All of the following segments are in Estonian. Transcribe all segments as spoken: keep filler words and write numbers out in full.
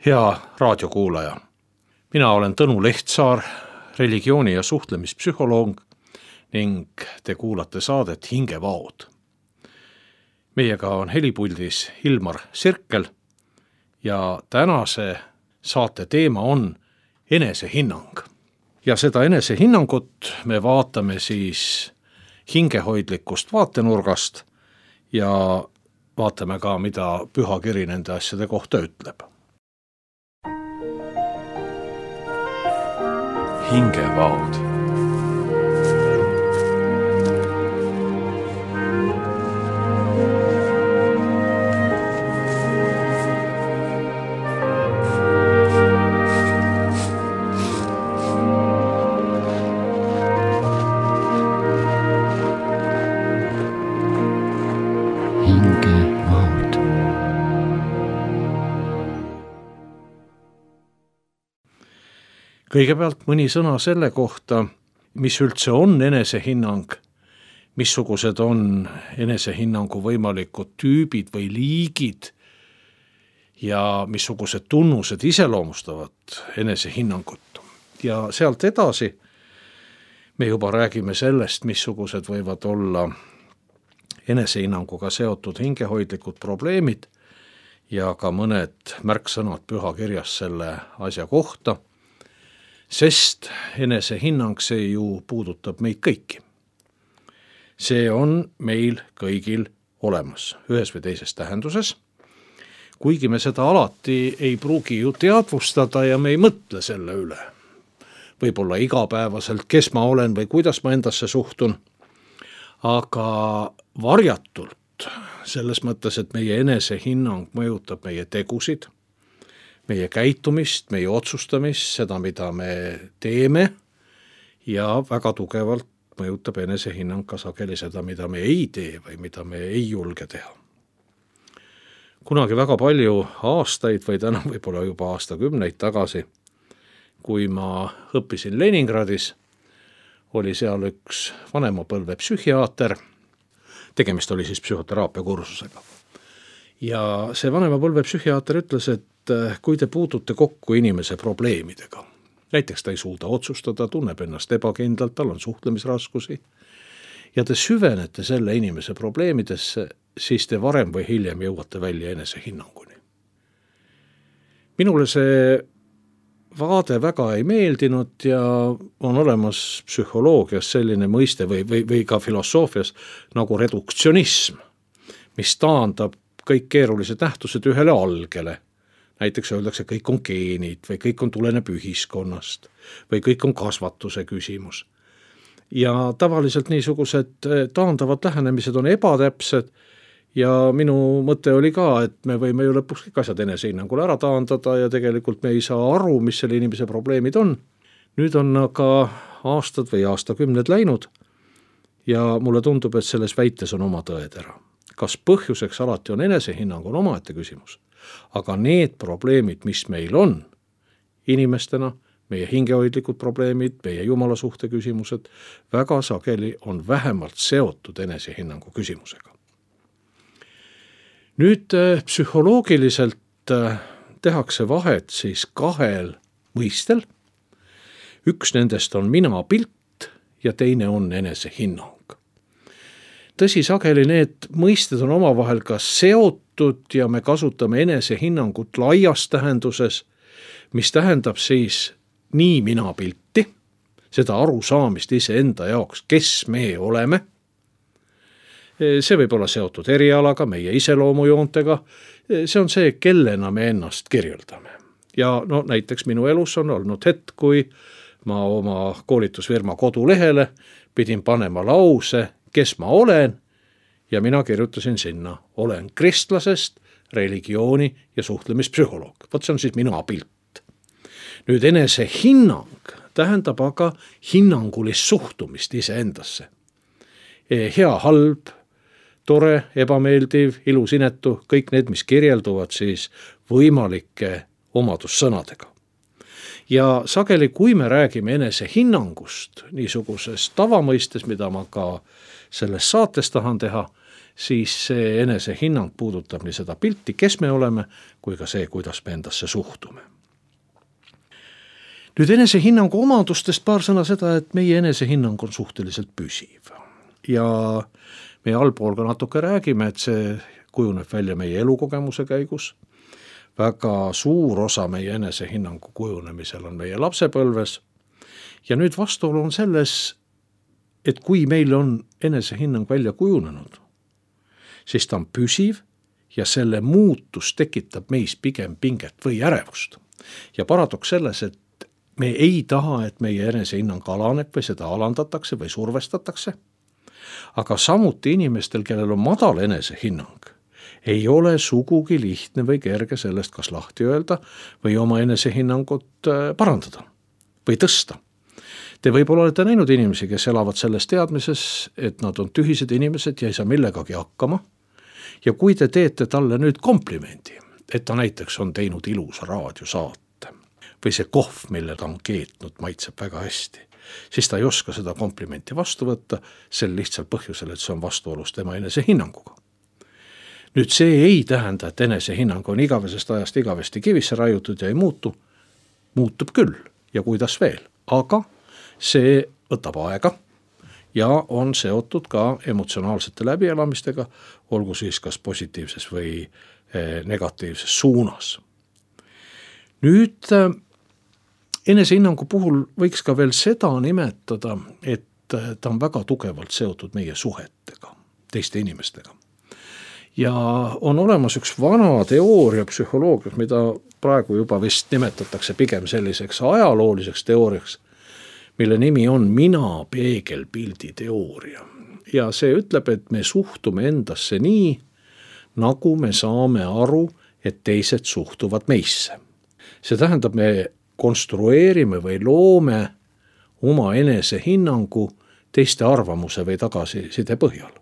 Hea raadiokuulaja, mina olen Tõnu Lehtsaar, religiooni- ja suhtlemispsühholoog ning te kuulate saadet Hingevaod. Meiega on helipuldis Ilmar Sirkel ja tänase saate teema on enesehinnang. Ja seda enesehinnangut me vaatame siis hingehoidlikust vaatenurgast ja vaatame ka, mida pühakiri nende asjade kohta ütleb. Hingevaod. Hingevaod. Kõigepealt mõni sõna selle kohta, mis üldse on enesehinnang, missugused on enesehinnangu võimalikud tüübid või liigid ja missugused tunnused iseloomustavad enesehinnangut. Ja sealt edasi me juba räägime sellest, missugused võivad olla enesehinnanguga seotud hingehoidlikud probleemid ja ka mõned märksõnad pühakirjas selle asja kohta. Sest enesehinnang see ju puudutab meid kõiki. See on meil kõigil olemas, ühes või teises tähenduses. Kuigi me seda alati ei pruugi ju teadvustada ja me ei mõtle selle üle. Võib-olla igapäevaselt, kes ma olen või kuidas ma endasse suhtun. Aga varjatult selles mõttes, et meie enesehinnang mõjutab meie tegusid, meie käitumist, meie otsustamist, seda, mida me teeme ja väga tugevalt mõjutab enesehinnang ka sageli seda, mida me ei tee või mida me ei julge teha. Kunagi väga palju aastaid või täna võib-olla juba aastakümneid tagasi, kui ma õppisin Leningradis, oli seal üks vanemapõlve psühhiaater, tegemist oli siis psühhoteraapia kursusega. Ja see vanemapõlve psühhiaater ütles, et kui te puutute kokku inimese probleemidega, näiteks ta ei suuda otsustada, tunneb ennast ebakindlalt, tal on suhtlemisraskusi, ja te süvenete selle inimese probleemidesse, siis te varem või hiljem jõuate välja enesehinnanguni. Minule see vaade väga ei meeldinud ja on olemas psühholoogias selline mõiste või, või, või ka filosoofias nagu reduktsionism, mis taandab kõik keerulised nähtused ühele algele. Näiteks öeldakse, kõik on geenid või kõik on tuleneb ühiskonnast või kõik on kasvatuse küsimus. Ja tavaliselt niisugused taandavad lähenemised on ebatäpsed ja minu mõte oli ka, et me võime ju lõpuks kõik asjad enesehinnangule ära taandada ja tegelikult me ei saa aru, mis selle inimese probleemid on. Nüüd on aga aastad või aastakümned läinud ja mulle tundub, et selles väites on oma tõetera. Kas põhjuseks alati on enesehinnang, on omaette küsimus. Aga need probleemid, mis meil on inimestena, meie hingehoidlikud probleemid, meie jumala suhte küsimused, väga sageli on vähemalt seotud enesehinnangu küsimusega. Nüüd psühholoogiliselt tehakse vahet siis kahel mõistel. Üks nendest on minapilt ja teine on enesehinnang. Tõsi, sageli need mõisted on omavahel ka seotud ja me kasutame enesehinnangut laias tähenduses, mis tähendab siis nii minapilti, seda arusaamist iseenda jaoks, kes me oleme. See võib olla seotud erialaga, meie iseloomujoontega, see on see, kellena me ennast kirjeldame. Ja no näiteks minu elus on olnud hetk, kui ma oma koolitusfirma kodulehele pidin panema lause, kes ma olen, ja mina kirjutasin sinna, olen kristlasest, religiooni ja suhtlemispsühholoog. Vot see on siis mina pilt. Nüüd enesehinnang tähendab aga hinnangulist suhtumist iseendasse. Hea, halb, tore, ebameeldiv, ilus, inetu, kõik need, mis kirjelduvad siis võimalike omadussõnadega. Ja sageli, kui me räägime enesehinnangust niisuguses tavamõistes, mida ma ka selles saates tahan teha, siis see enesehinnang puudutab nii seda pilti, kes me oleme, kui ka see, kuidas me endasse suhtume. Nüüd enesehinnangu omadustest paar sõna seda, et meie enesehinnang on suhteliselt püsiv. Ja meie allpool ka natuke räägime, et see kujuneb välja meie elukogemuse käigus. Väga suur osa meie enesehinnangu kujunemisel on meie lapsepõlves. Ja nüüd vastuolu on selles, et kui meil on enesehinnang välja kujunenud, siis ta on püsiv ja selle muutus tekitab meis pigem pinget või ärevust. Ja paradoks selles, et me ei taha, et meie enesehinnang alaneb või seda alandatakse või survestatakse. Aga samuti inimestel, kellel on madal enesehinnang, ei ole sugugi lihtne või kerge sellest kas lahti öelda või oma enesehinnangut parandada või tõsta. Te võib-olla olete näinud inimesi, kes elavad selles teadmises, et nad on tühised inimesed ja ei saa millegagi hakkama. Ja kui te teete talle nüüd komplimendi, et ta näiteks on teinud ilusa raadiosaate või see kohv, mille ta on keetnud, maitseb väga hästi, siis ta ei oska seda komplimenti vastu võtta sel lihtsal põhjusel, et see on vastuolus tema enesehinnanguga. Nüüd see ei tähenda, et enesehinnang on igavesest ajast igavesti kivisse raiutud ja ei muutu. Muutub küll ja kuidas veel, aga see võtab aega ja on seotud ka emotsionaalsete läbielamistega, olgu siis kas positiivses või negatiivses suunas. Nüüd enesehinnangu puhul võiks ka veel seda nimetada, et ta on väga tugevalt seotud meie suhetega, teiste inimestega. Ja on olemas üks vana teooria psühholoogias, mida praegu juba vist nimetatakse pigem selliseks ajalooliseks teooriaks, mille nimi on mina peegelpildi teooria. Ja see ütleb, et me suhtume endasse nii, nagu me saame aru, et teised suhtuvad meisse. See tähendab, me konstrueerime või loome oma enesehinnangu teiste arvamuse või tagasiside põhjal.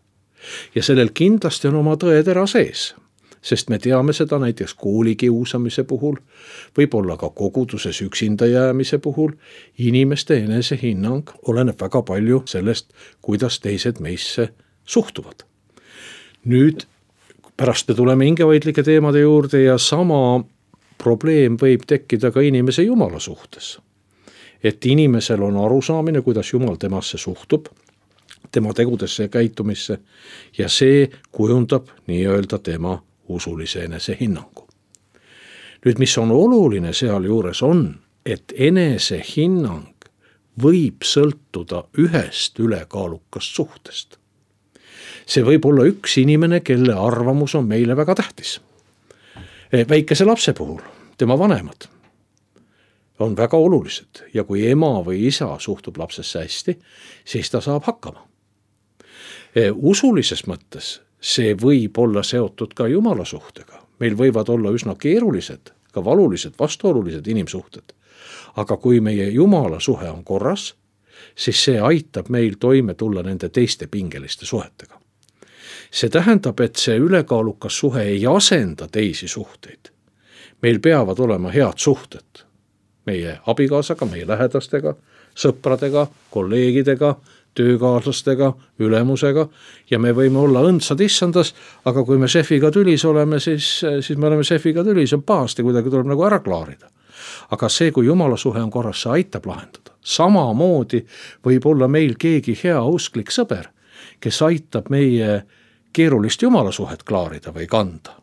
Ja sellel kindlasti on oma tõetera sees, sest me teame seda näiteks koolikiusamise puhul, võib-olla ka koguduses üksinda jäämise puhul. Inimeste enesehinnang oleneb väga palju sellest, kuidas teised meisse suhtuvad. Nüüd pärast me tuleme hingehoidlike teemade juurde ja sama probleem võib tekkida ka inimese Jumala suhtes. Et inimesel on arusaamine, kuidas Jumal temasse suhtub, tema tegudesse ja käitumisse ja see kujundab nii-öelda tema usulise enesehinnangu. Nüüd, mis on oluline seal juures on, et enesehinnang võib sõltuda ühest ülekaalukast suhtest. See võib olla üks inimene, kelle arvamus on meile väga tähtis. Väikese lapse puhul, tema vanemad on väga olulised ja kui ema või isa suhtub lapsesse hästi, siis ta saab hakkama. Usulises mõttes see võib olla seotud ka Jumala suhtega. Meil võivad olla üsna keerulised, ka valulised, vastuolulised inimsuhted. Aga kui meie Jumala suhe on korras, siis see aitab meil toime tulla nende teiste pingeliste suhetega. See tähendab, et see ülekaalukas suhe ei asenda teisi suhteid. Meil peavad olema head suhted meie abikaasaga, meie lähedastega, sõpradega, kolleegidega, töökaaslastega, ülemusega ja me võime olla õndsad issandas, aga kui me šefiga tülis oleme, siis, siis me oleme šefiga tülis, on pahasti, kuidagi tuleb nagu ära klaarida. Aga see, kui Jumala suhe on korras, see aitab lahendada. Samamoodi võib olla meil keegi hea usklik sõber, kes aitab meie keerulist Jumala suhet klaarida või kanda.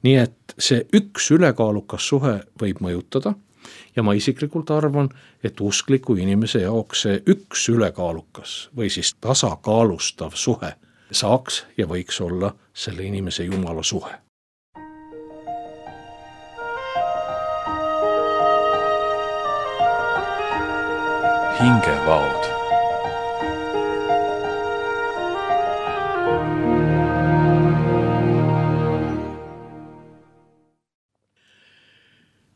Nii et see üks ülekaalukas suhe võib mõjutada ja ma isiklikult arvan, et uskliku inimese jaoks see üks ülekaalukas või siis tasakaalustav suhe saaks ja võiks olla selle inimese Jumala suhe. Hingevaod.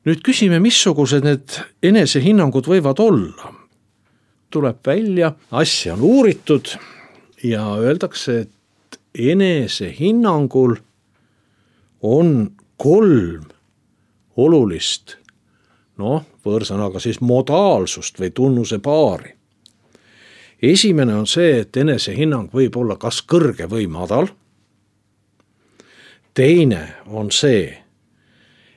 Nüüd küsime, missugused need enesehinnangud võivad olla. Tuleb välja, asja on uuritud ja öeldakse, et enesehinnangul on kolm olulist, noh, võõrsõnaga siis modaalsust või tunnuse paari. Esimene on see, et enesehinnang võib olla kas kõrge või madal, teine on see,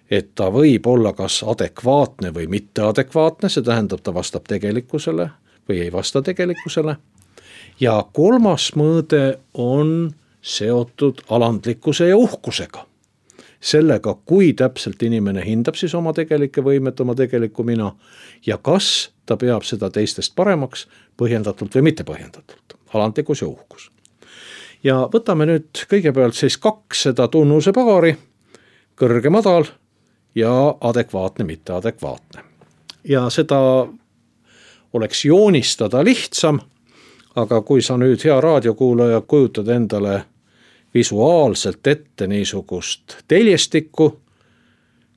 et ta võib olla kas adekvaatne või mitteadekvaatne, see tähendab, ta vastab tegelikkusele või ei vasta tegelikkusele. Ja kolmas mõõde on seotud alandlikkuse ja uhkusega. Sellega, kui täpselt inimene hindab siis oma tegelikke võimet, oma tegelikku mina ja kas ta peab seda teistest paremaks põhjendatult või mitte põhjendatult. Alandlikkus ja uhkus. Ja võtame nüüd kõigepealt siis kaks seda tunnuse paari, kõrge, madal ja adekvaatne, mitteadekvaatne. Ja seda oleks joonistada lihtsam, aga kui sa nüüd hea raadiokuulaja kujutad endale visuaalselt ette niisugust teljestikku,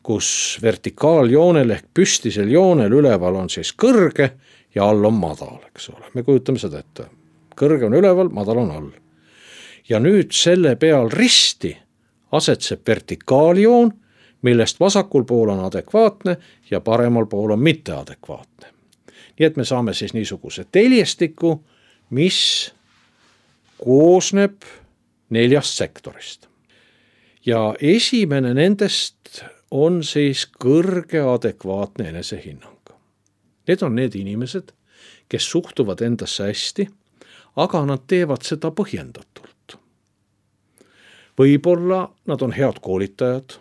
kus vertikaaljoonel ehk püstisel joonel üleval on siis kõrge ja all on madal, eks ole. Me kujutame seda ette. Kõrge on üleval, madal on all. Ja nüüd selle peal risti asetseb vertikaaljoon, millest vasakul pool on adekvaatne ja paremal pool on mitteadekvaatne. Nii et me saame siis niisuguse teljestiku, mis koosneb neljast sektorist. Ja esimene nendest on siis kõrge adekvaatne enesehinnang. Need on need inimesed, kes suhtuvad endasse hästi, aga nad teevad seda põhjendatult. Võib-olla nad on head koolitajad,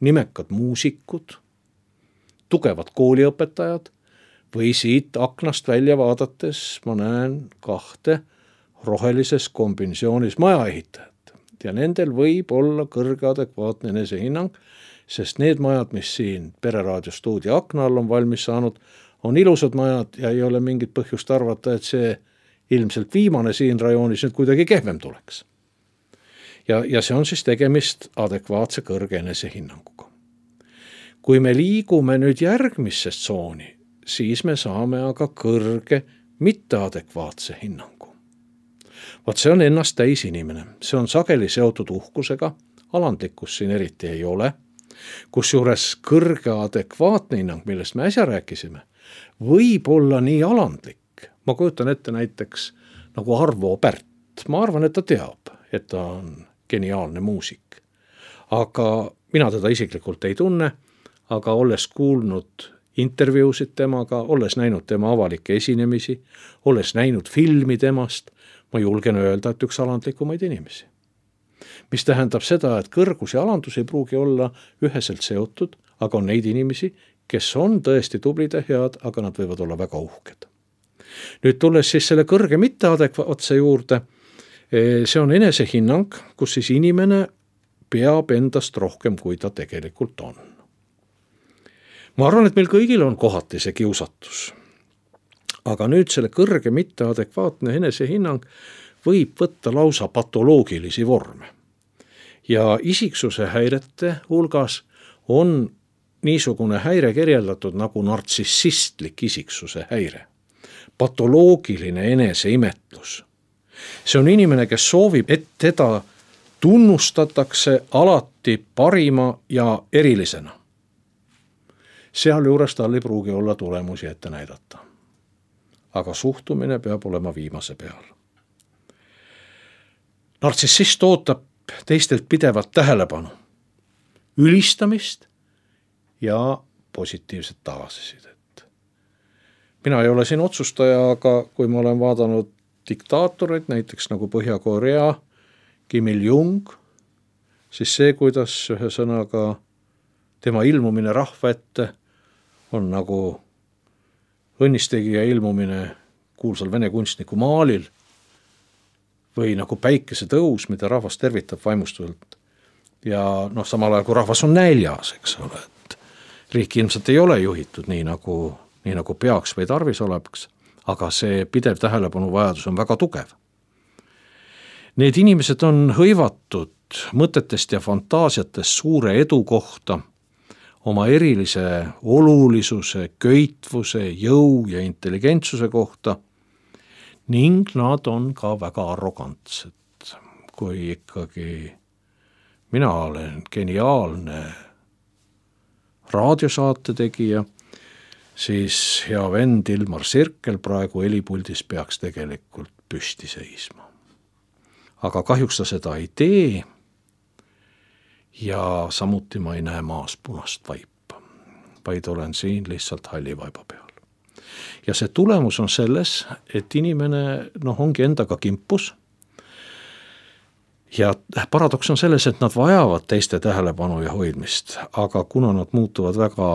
nimekad muusikud, tugevad kooliõpetajad või siit aknast välja vaadates ma näen kahte rohelises kombinatsioonis majaehitajat. Ja nendel võib olla kõrge adekvaatne enesehinnang, sest need majad, mis siin Pereraadio stuudio akna all on valmis saanud, on ilusad majad ja ei ole mingit põhjust arvata, et see ilmselt viimane siin rajoonis nüüd kuidagi kehvem tuleks. Ja, ja see on siis tegemist adekvaatse kõrge enesehinnanguga. Kui me liigume nüüd järgmisse tsooni, siis me saame aga kõrge mitteadekvaatse hinnangu. Vaat see on ennast täis inimene. See on sageli seotud uhkusega, alandlikkus siin eriti ei ole, kus juures kõrge adekvaatne hinnang, millest me äsja rääkisime, võib olla nii alandlik. Ma kujutan ette näiteks nagu Arvo Pärt. Ma arvan, et ta teab, et ta on geniaalne muusik. Aga mina teda isiklikult ei tunne, aga olles kuulnud intervjuusid temaga, olles näinud tema avalikke esinemisi, olles näinud filmi temast, ma julgen öelda, et üks alandlikumaid inimesi. Mis tähendab seda, et kõrgus ja alandus ei pruugi olla üheselt seotud, aga on neid inimesi, kes on tõesti tublid ja head, aga nad võivad olla väga uhked. Nüüd tulles siis selle kõrge mitteadekvaatse juurde, see on enesehinnang, kus siis inimene peab endast rohkem, kui ta tegelikult on. Ma arvan, et meil kõigil on kohati see kiusatus. Aga nüüd selle kõrge mitteadekvaatne enesehinnang võib võtta lausa patoloogilisi vorme. Ja isiksuse häirete hulgas on niisugune häire kirjeldatud nagu nartsissistlik isiksuse häire. Patoloogiline eneseimetlus. See on inimene, kes soovib, et teda tunnustatakse alati parima ja erilisena. Seal juures tal ei pruugi olla tulemusi ette näidata. Aga suhtumine peab olema viimase peal. Nartsissist ootab teistelt pidevat tähelepanu, ülistamist ja positiivset tagasisidet. Mina ei ole siin otsustaja, aga kui ma olen vaadanud diktaatorid, näiteks nagu Põhja-Korea, Kim Il-jung, siis see, kuidas ühe sõnaga tema ilmumine rahva ette on nagu õnnistegija ilmumine kuulsal vene kunstniku maalil või nagu päikese tõus, mida rahvas tervitab vaimustuvalt. Ja noh, samal ajal kui rahvas on näljas, eks ole, et riik ilmselt ei ole juhitud nii nagu, nii nagu peaks või tarvis oleks, aga see pidev tähelepanu vajadus on väga tugev. Need inimesed on hõivatud mõtetest ja fantaasiatest suure edu kohta, oma erilise olulisuse, köitvuse, jõu ja intelligentsuse kohta ning nad on ka väga arrogantsed. Kui ikkagi mina olen geniaalne raadiosaate tegija, siis hea vend Ilmar Sirkel praegu helipuldis peaks tegelikult püsti seisma. Aga kahjuks ta seda ei tee ja samuti ma ei näe maas punast vaipa, vaid olen siin lihtsalt halli vaiba peal. Ja see tulemus on selles, et inimene noh, ongi endaga kimpus ja paradoks on selles, et nad vajavad teiste tähelepanu ja hoidmist, aga kuna nad muutuvad väga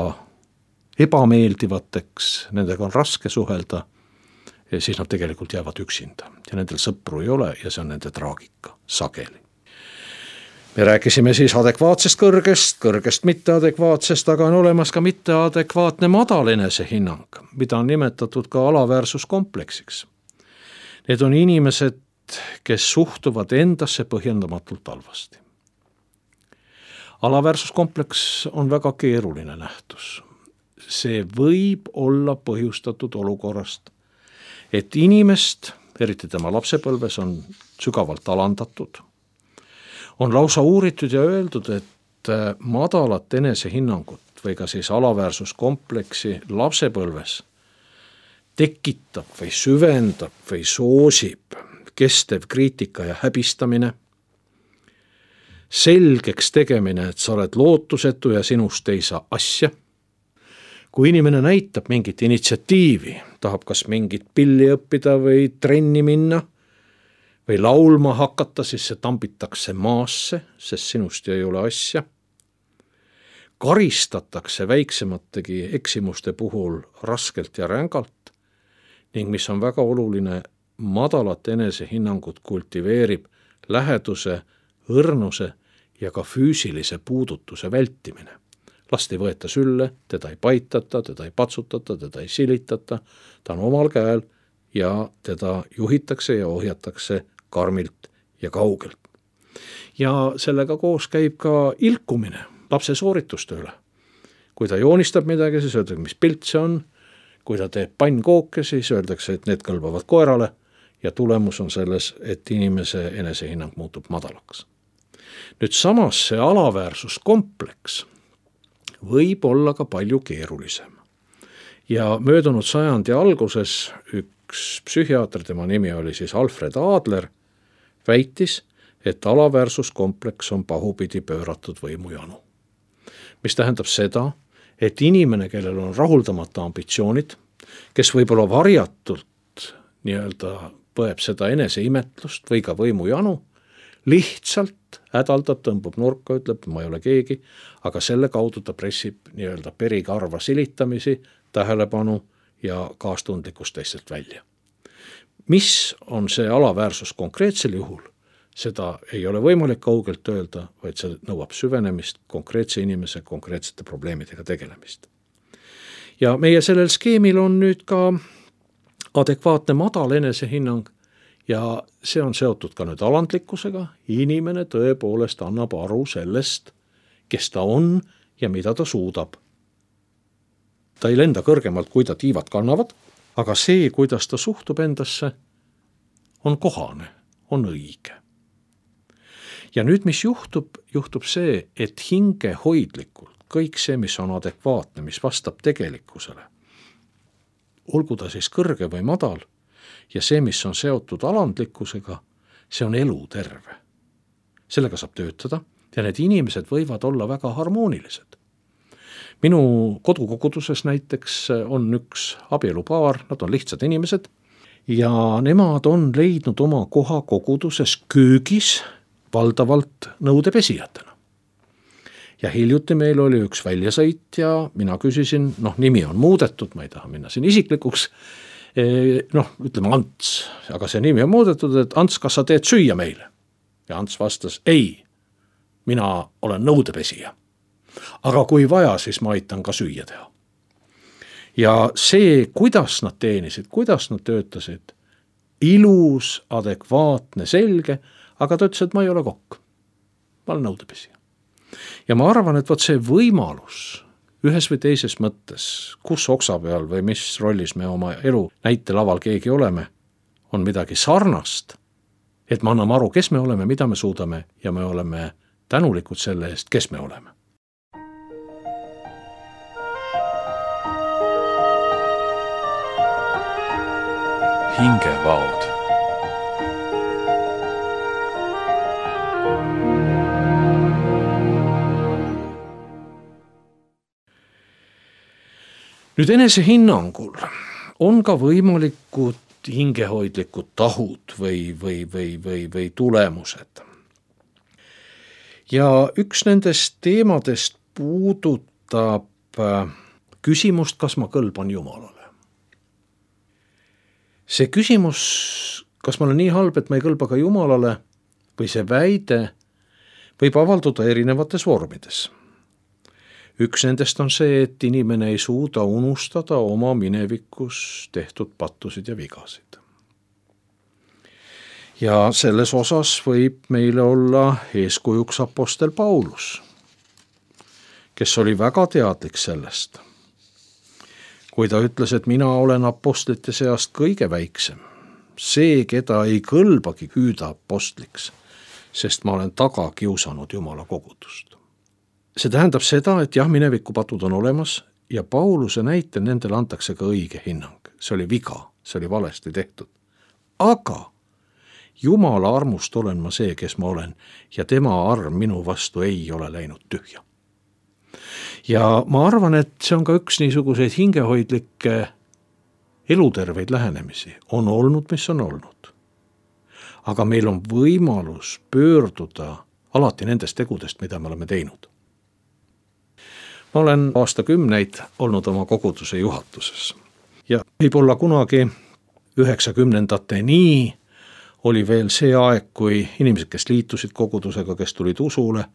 ebameeldivateks, nendega on raske suhelda, siis nad tegelikult jäävad üksinda ja nendel sõpru ei ole ja see on nende traagika sageli. Me rääkisime siis adekvaatsest kõrgest, kõrgest mitteadekvaatsest, aga on olemas ka mitteadekvaatne madal enesehinnang, mida on nimetatud ka alaväärsuskompleksiks. Need on inimesed, kes suhtuvad endasse põhjendamatult halvasti. Alaväärsuskompleks on väga keeruline nähtus. See võib olla põhjustatud olukorrast, et inimest, eriti tema lapsepõlves, on sügavalt alandatud. On lausa uuritud ja öeldud, et madalat enesehinnangut või ka siis alaväärsuskompleksi lapsepõlves tekitab või süvendab või soosib kestev kriitika ja häbistamine, selgeks tegemine, et sa oled lootusetu ja sinust ei saa asja. Kui inimene näitab mingit initsiatiivi, tahab kas mingit pilli õppida või trenni minna või laulma hakata, siis see tambitakse maasse, sest sinust ei ole asja. Karistatakse väiksemategi eksimuste puhul raskelt ja rängalt ning mis on väga oluline, madalat enesehinnangut kultiveerib läheduse, õrnuse ja ka füüsilise puudutuse vältimine. Last ei võeta sülle, teda ei paitata, teda ei patsutata, teda ei silitata, ta on omal käel ja teda juhitakse ja ohjatakse karmilt ja kaugelt. Ja sellega koos käib ka ilkumine lapse soorituste üle. Kui ta joonistab midagi, siis öeldakse, mis pilt see on. Kui ta teeb pannkooke, siis öeldakse, et need kõlbavad koerale ja tulemus on selles, et inimese enesehinnang muutub madalaks. Nüüd samas see alaväärsuskompleks võib olla ka palju keerulisem. Ja möödunud sajandi alguses üks psühhiaater, tema nimi oli siis Alfred Adler, väitis, et alaväärsuskompleks on pahupidi pööratud võimujanu. Mis tähendab seda, et inimene, kellel on rahuldamata ambitsioonid, kes võib-olla varjatult nii-öelda põeb seda eneseimetlust või ka võimujanu, lihtsalt hädaldab, tõmbub nurka, ütleb, ma ei ole keegi, aga selle kaudu ta pressib nii-öelda perikarva silitamisi, tähelepanu ja kaastundlikkust teistelt välja. Mis on see alaväärsus konkreetsel juhul? Seda ei ole võimalik kaugelt öelda, vaid see nõuab süvenemist, konkreetse inimese konkreetsete probleemidega tegelemist. Ja meie sellel skeemil on nüüd ka adekvaatne madal enesehinnang ja see on seotud ka nüüd alandlikkusega. Inimene tõepoolest annab aru sellest, kes ta on ja mida ta suudab. Ta ei lenda kõrgemalt, kui ta tiivad kannavad, aga see, kuidas ta suhtub endasse, on kohane, on õige. Ja nüüd, mis juhtub, juhtub see, et hingehoidlikult kõik see, mis on adekvaatne, mis vastab tegelikkusele, olgu ta siis kõrge või madal, ja see, mis on seotud alandlikkusega, see on eluterve. Sellega saab töötada ja need inimesed võivad olla väga harmoonilised. Minu kodukoguduses näiteks on üks abielupaar, nad on lihtsad inimesed ja nemad on leidnud oma koha koguduses köögis valdavalt nõudepesijatena. Ja hiljuti meil oli üks väljasõit ja mina küsisin, noh, nimi on muudetud, ma ei taha minna siin isiklikuks, noh, ütleme Ants, aga see nimi on muudetud, et Ants, kas sa teed süüa meile? Ja Ants vastas, ei, mina olen nõudepesija. Aga kui vaja, siis ma aitan ka süüa teha. Ja see, kuidas nad teenisid, kuidas nad töötasid, ilus, adekvaatne, selge, aga ta ütles, et ma ei ole kokk. Ma olen nõudepesija. Ja ma arvan, et võt see võimalus ühes või teises mõttes, kus oksa peal või mis rollis me oma elu näitelaval keegi oleme, on midagi sarnast, et me anname aru, kes me oleme, mida me suudame ja me oleme tänulikud selle eest, kes me oleme. Hingevaod. nüüd enesehinnangul on ka võimalikud hingehoidlikud tahud või, või, või, või, või tulemused. Ja üks nendest teemadest puudutab küsimust, kas ma kõlban Jumalale. See küsimus, kas ma olen nii halb, et ma ei kõlba ka Jumalale, või see väide võib avalduda erinevates vormides. Üks nendest on see, et inimene ei suuda unustada oma minevikus tehtud pattusid ja vigasid. Ja selles osas võib meile olla eeskujuks apostel Paulus, kes oli väga teadlik sellest. Kui ta ütles, et mina olen apostlite seast kõige väiksem, see, keda ei kõlbagi hüüda apostliks, sest ma olen taga kiusanud Jumala kogudust. See tähendab seda, et jah, minevikupatud on olemas ja Pauluse näitel nendele antakse ka õige hinnang. See oli viga, see oli valesti tehtud. Aga Jumala armust olen ma see, kes ma olen ja tema arm minu vastu ei ole läinud tühja. Ja ma arvan, et see on ka üks niisuguseid hingehoidlikke eluterveid lähenemisi. On olnud, mis on olnud. Aga meil on võimalus pöörduda alati nendest tegudest, mida me oleme teinud. Ma olen aastakümneid olnud oma koguduse juhatuses ja võib-olla kunagi üheksakümnendateni oli veel see aeg, kui inimesed, kes liitusid kogudusega, kes tulid usule,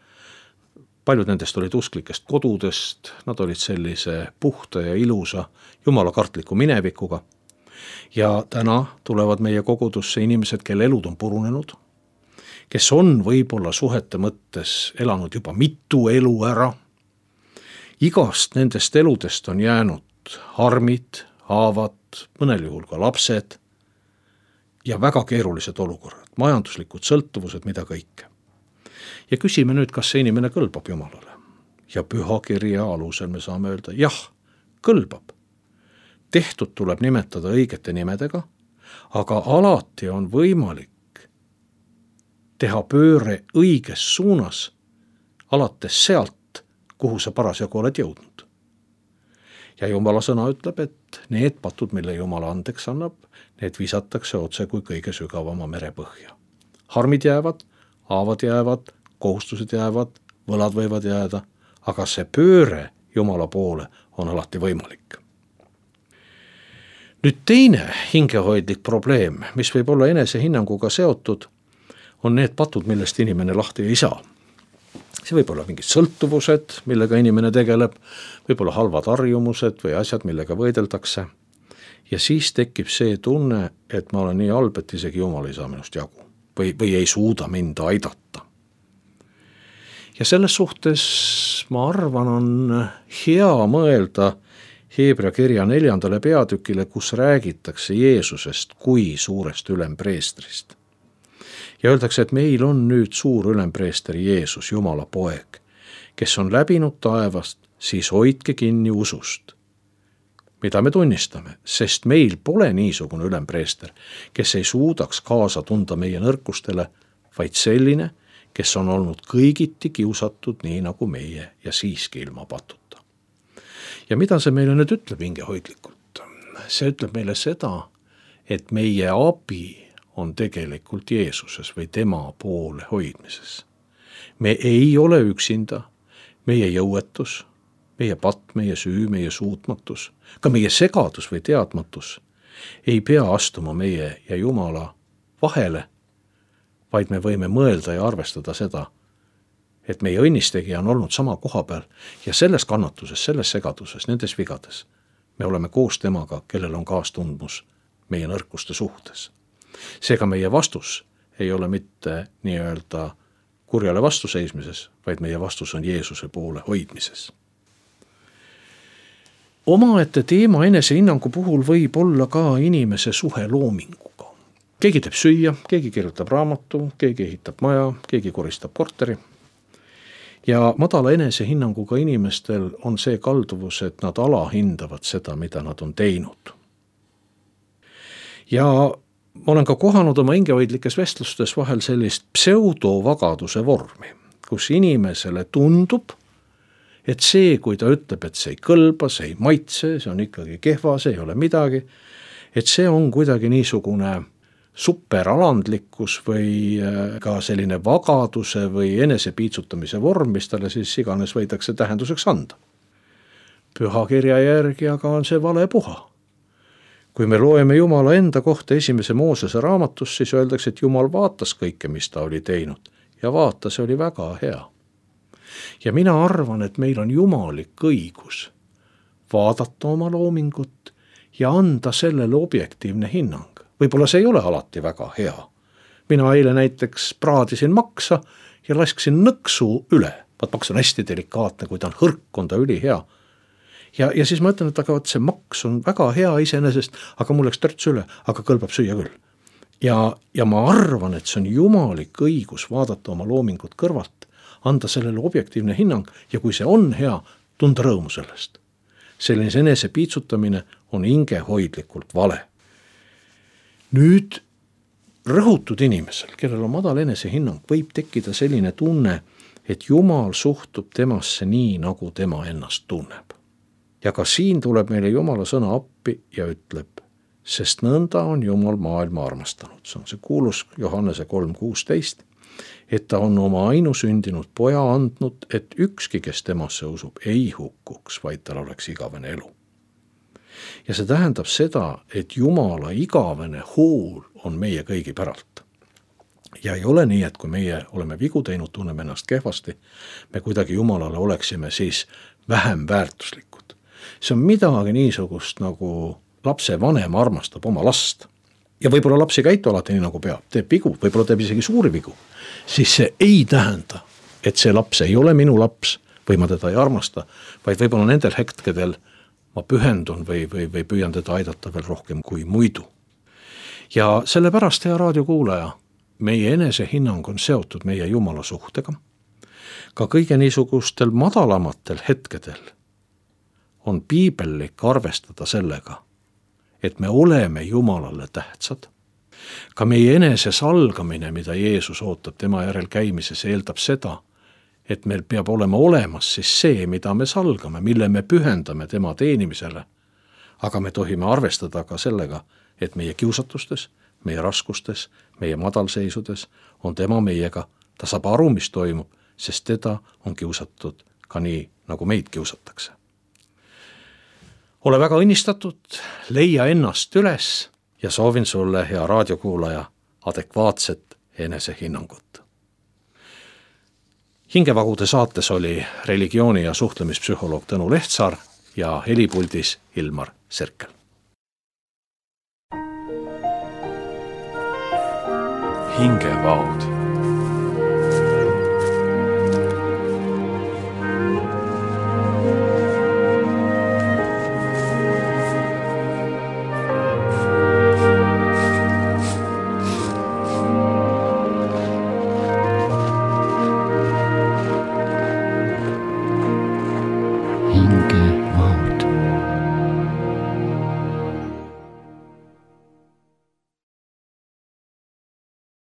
paljud nendest olid usklikest kodudest, nad olid sellise puhta ja ilusa jumalakartliku minevikuga. Ja täna tulevad meie kogudusse inimesed, kelle elud on purunenud, kes on võib-olla suhete mõttes elanud juba mitu elu ära. Igast nendest eludest on jäänud harmid, haavad, mõnel juhul ka lapsed ja väga keerulised olukorrad, majanduslikud sõltuvused, mida kõike. Ja küsime nüüd, kas see inimene kõlbab Jumalale. Ja pühakirja alusel me saame öelda, jah, kõlbab. Tehtud tuleb nimetada õigete nimedega, aga alati on võimalik teha pööre õiges suunas, alates sealt, kuhu sa parasjagu oled jõudnud. Ja Jumala sõna ütleb, et need patud, mille Jumala andeks annab, need visatakse otse kui kõige sügavama merepõhja. Harmid jäävad, haavad jäävad, kohustused jäävad, võlad võivad jääda, aga see pööre Jumala poole on alati võimalik. Nüüd teine hingehoidlik probleem, mis võib olla enesehinnanguga seotud, on need patud, millest inimene lahti ei saa. See võib olla mingid sõltuvused, millega inimene tegeleb, võib olla halvad harjumused või asjad, millega võideldakse. Ja siis tekib see tunne, et ma olen nii halb, et isegi Jumal ei saa minust jagu või, või ei suuda mind aidata. Ja selles suhtes, ma arvan, on hea mõelda Heebrea kirja neljandale peatükile, kus räägitakse Jeesusest kui suurest ülempreestrist. Ja öeldakse, et meil on nüüd suur ülempreester Jeesus, Jumala poeg, kes on läbinud taevast, siis hoidke kinni usust, mida me tunnistame, sest meil pole niisugune ülempreester, kes ei suudaks kaasa tunda meie nõrkustele, vaid selline, kes on olnud kõigiti kiusatud nii nagu meie ja siiski ilma patuta. Ja mida see meile nüüd ütleb hingehoidlikult? See ütleb meile seda, et meie abi on tegelikult Jeesuses või tema poole hoidmises. Me ei ole üksinda, meie jõuetus, meie patt, meie süü, meie suutmatus, ka meie segadus või teadmatus ei pea astuma meie ja Jumala vahele, vaid me võime mõelda ja arvestada seda, et meie õnnistegija on olnud sama koha peal ja selles kannatuses, selles segaduses, nendes vigades me oleme koos temaga, kellel on kaastundmus meie nõrkuste suhtes. Seega meie vastus ei ole mitte nii-öelda kurjale vastuseismises, vaid meie vastus on Jeesuse poole hoidmises. Omaette teema enesehinnangu puhul võib olla ka inimese suhe loominguga. Keegi teeb süüa, keegi kirjutab raamatu, keegi ehitab maja, keegi koristab korteri. Ja madala enesehinnanguga inimestel on see kalduvus, et nad alahindavad seda, mida nad on teinud. Ja ma olen ka kohanud oma hingehoidlikes vestlustes vahel sellist pseudovagaduse vormi, kus inimesele tundub, et see, kui ta ütleb, et see ei kõlba, see ei maitse, see on ikkagi kehva, see ei ole midagi, et see on kuidagi niisugune superalandlikkus või ka selline vagaduse või enesepiitsutamise vorm, mis talle siis iganes võidakse tähenduseks anda. Pühakirja järgi aga on see vale puha. Kui me loeme Jumala enda kohta esimese Moosese raamatus, siis öeldakse, et Jumal vaatas kõike, mis ta oli teinud ja vaata, see oli väga hea. Ja mina arvan, et meil on jumalik õigus vaadata oma loomingut ja anda sellele objektiivne hinnang. Võib-olla see ei ole alati väga hea. Mina eile näiteks praadisin maksa ja lasksin nõksu üle. Vaat maks on hästi delikaatne, kui ta on hõrk, on ta üli hea. Ja, ja siis ma ütlen, et aga see maks on väga hea iseenesest, aga mul läks törts üle, aga kõlbab süüa küll. Ja, ja ma arvan, et see on jumalik õigus vaadata oma loomingut kõrvalt, anda sellele objektiivne hinnang ja kui see on hea, tunda rõõmu sellest. Selline enese piitsutamine on hingehoidlikult vale. Nüüd rõhutud inimesel, kellel on madal enesehinnang, võib tekkida selline tunne, et Jumal suhtub temasse nii, nagu tema ennast tunneb. Ja ka siin tuleb meile Jumala sõna appi ja ütleb, sest nõnda on Jumal maailma armastanud. See on see kuulus Johannese kolm kuusteist, et ta on oma ainusündinud poja andnud, et ükski, kes temasse usub, ei hukkuks, vaid tal oleks igavene elu. Ja see tähendab seda, et Jumala igavene hool on meie kõigi päralt. Ja ei ole nii, et kui meie oleme vigu teinud, tunneme ennast kehvasti, me kuidagi Jumalale oleksime siis vähem väärtuslikud. See on midagi niisugust, nagu lapse vanem armastab oma last. Ja võib-olla laps ei käitu alati nii, nagu peab, teeb vigu, võib-olla teeb isegi suuri vigu. Siis see ei tähenda, et see laps ei ole minu laps või ma teda ei armasta, vaid võib-olla nendel hetkedel ma pühendun või, või, või püüan teda aidata veel rohkem kui muidu. Ja sellepärast, hea raadiokuulaja, meie enesehinnang on seotud meie Jumala suhtega. Ka kõige niisugustel madalamatel hetkedel on piibellik arvestada sellega, et me oleme Jumalale tähtsad. Ka meie enese salgamine, mida Jeesus ootab tema järel käimises, eeldab seda, et meil peab olema olemas siis see, mida me salgame, mille me pühendame tema teenimisele. Aga me tohime arvestada ka sellega, et meie kiusatustes, meie raskustes, meie madalseisudes on tema meiega, ta saab aru, mis toimub, sest teda on kiusatud ka nii, nagu meid kiusatakse. Ole väga õnnistatud, leia ennast üles ja soovin sulle, hea raadiokuulaja, adekvaatset enesehinnangut. Hingevagude saates oli religiooni- ja suhtlemispsühholoog Tõnu Lehtsaar ja helipuldis Ilmar Serkel. Hingevaud.